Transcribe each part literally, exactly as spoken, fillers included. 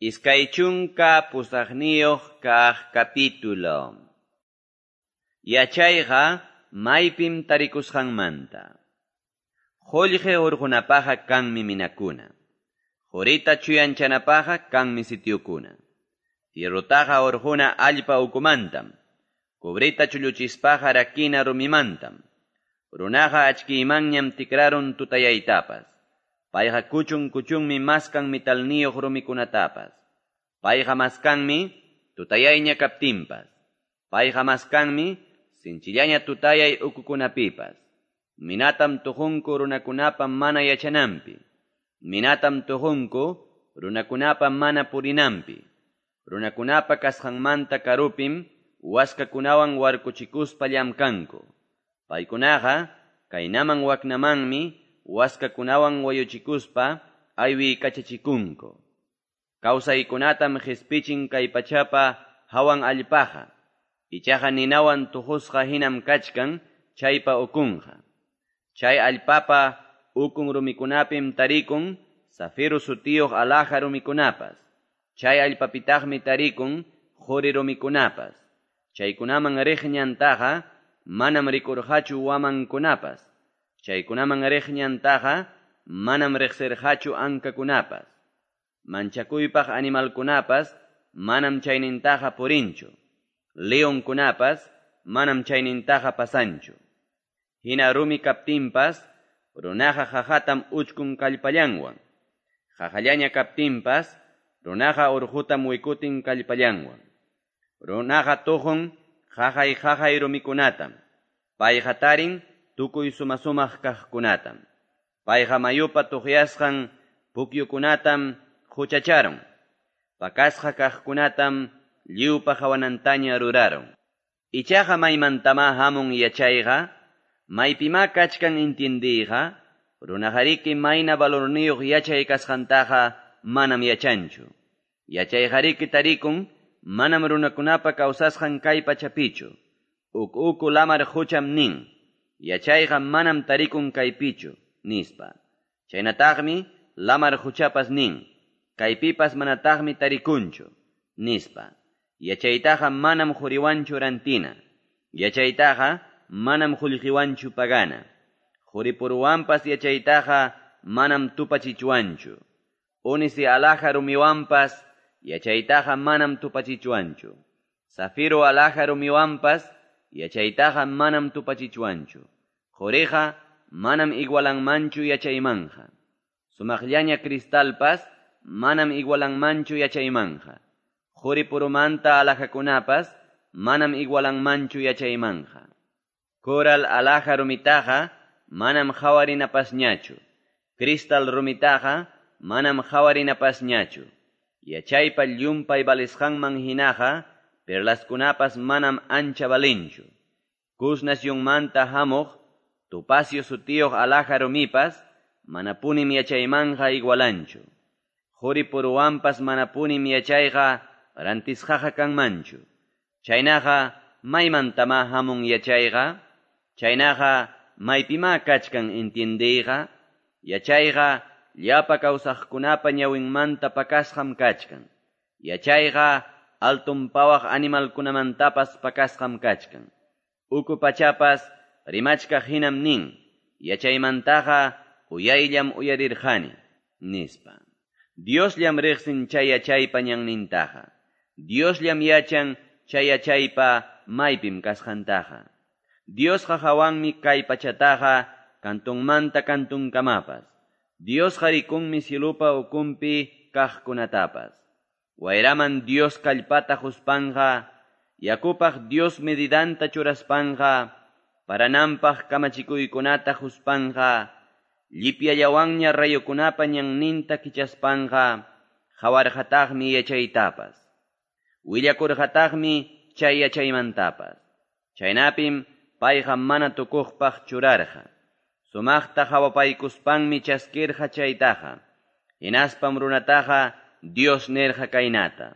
Iskay chunka pusaqniyuq kaq capítulo. Yachayqa maypim tarikusqanmanta. Qullqi hurqunapaqqa kanmi minakuna. Qurita chuyanchanapaqqa kanmi sitiokuna. Fierrotaqa hurquna allpa ukumantam. Cobreta chulluchispaqa rakina rumimantam. Runaqa achkiymanñam tikrarun tutayaytapas. Payqa kuchun kuchunmi maskan metalniyuq rumikunatapas. Payqa maskanmi tutayayña kaptinpas. Payqa maskanmi sinchillaña tutayay ukukunapipas. Minatam tuqunku runakunapa mana yachananpi. Minatam tuqunku runakunapa mana purinanpi. Runakunapa kasqanmanta karupim waskakunawan warkuchikuspa llamkanku. Paykunaqa kaynaman waknamanmi waskakunawan wayuchikuspa aywiykachachikunku. Kawsaykunatam qhispichin kay pachapa hawan allpaqa. Ichaqa ninawan tuqusqa hinam kachkan chaypa ukunqa. Chay allpapa ukun rumikunapim tarikun zafiro sutiyuq alhaja rumikunapas. Chay allpapitaqmi tarikun quri rumikunapas. Chaykunaman riq ñantaqa manam rikurqachu wamankunapas. Chaykunaman riq ñantaqa manam riqsirqachu ankakunapas. Manchakuypaq animalkunapas manam chaynintaqa purinchu. Leonkunapas manam chaynintaqa pasanchu. Hina rumi kaptinpas runaqa qaqatam uchkun kallpallanwan. Qaqallaña kaptinpas runaqa urqutam wikutin kallpallanwan. Runaqa tuqun qaqay qaqay rumikunatam. Payqa tarin tukuy sumasumaq kaqkunatam. Payqa mayupa tuqyasqan pukyukunatam huchacharun. Pakasqa kaqkunatam lliwpa hawanantaña rurarun. Ichaqa maymantama hamun yachayqa, maypima kachkan intindiyqa, runaqariki mayna valorniyuq yachay kasqantaqa manam yachanchu. Yachayqariki tarikun manam runakunapa kawsasqan kay pachapichu. Uk uku lamar hucham nin, yachayqa manam tarikun kaypichu, nispa. Chaynataqmi lamar huchapas nin, kaypipas manataqmi tarikunchu, nispa. Yachaytaqa manam quriwanchu rantina. Yachaytaqa manam qullqiwanchu pagana. Quripuruwanpas yachaytaqa manam tupachichwanchu. Unisi alhaja rumiwanpas yachaytaqa manam tupachichwanchu. Zafiro alhaja rumiwanpas yachaytaqa manam tupachichwanchu. Quriqa manam igualanmanchu yachaymanja. Sumaqllaña cristalpas manam igualanmanchu yachaymanja. Quripurumanta alhajakunapas manam igualanmanchu yachaymanja. Coral alhaja rumitaqa manam hawarinapasñachu. Cristal rumitaqa manam hawarinapasñachu. Yachaypa llumpay valisqanman hinaqa perlaskunapas manam ancha valinchu. Cus nacionmanta hamuq topacio sutiyuq alhaja rumipas manapunim yachaymanja igualanchu. Quripuruwanpas manapunim yachayqa rantisqaqa kanmanchu. Chaynaqa maymantama hamun yachayqa, chaynaqa maypima kachkan entiendiyqa, yachayqa llapa kawsaqkunapa ñawinmanta pakasqam kachkan. Yachayqa alton pawaq animalkunamantapas pakasqam kachkan. Uku pachapas rimachkaq hinam nin, yachaymantaqa uyayllam uyarirqani, nispa. Diosllam riqsin chay yachaypa ñannintaqa. Diosllam yachan chay yachaypa maypim kasqantaqa. Diosqa hawanmi kay pachataqa kantunmanta kantunkamapas. Diosqa rikunmi cielupa ukunpi kaqkunatapas. Wayraman Dios kallpata huspanja, yakupaq Dios medidanta churaspanja, parananpaq kamachikuykunata huspanja, llipyallawanña rayukunapa ñanninta kichaspanja, hawarqataqmi yachaytapas. Willakurqataqmi chay yachaymantapas. Chaynapim payqa mana tukuqpaq churarqa. Sumaqta hawapaykuspanmi chaskirqa chaytaqa. Hinaspam runataqa Dios nirqa kaynata.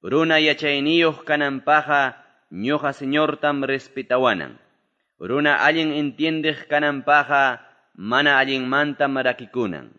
Runa yachayniyuq kananpaqqa ñuqa Señortam respetawanan. Runa allin entiendiq kananpaqqa mana allinmantam rakikunan.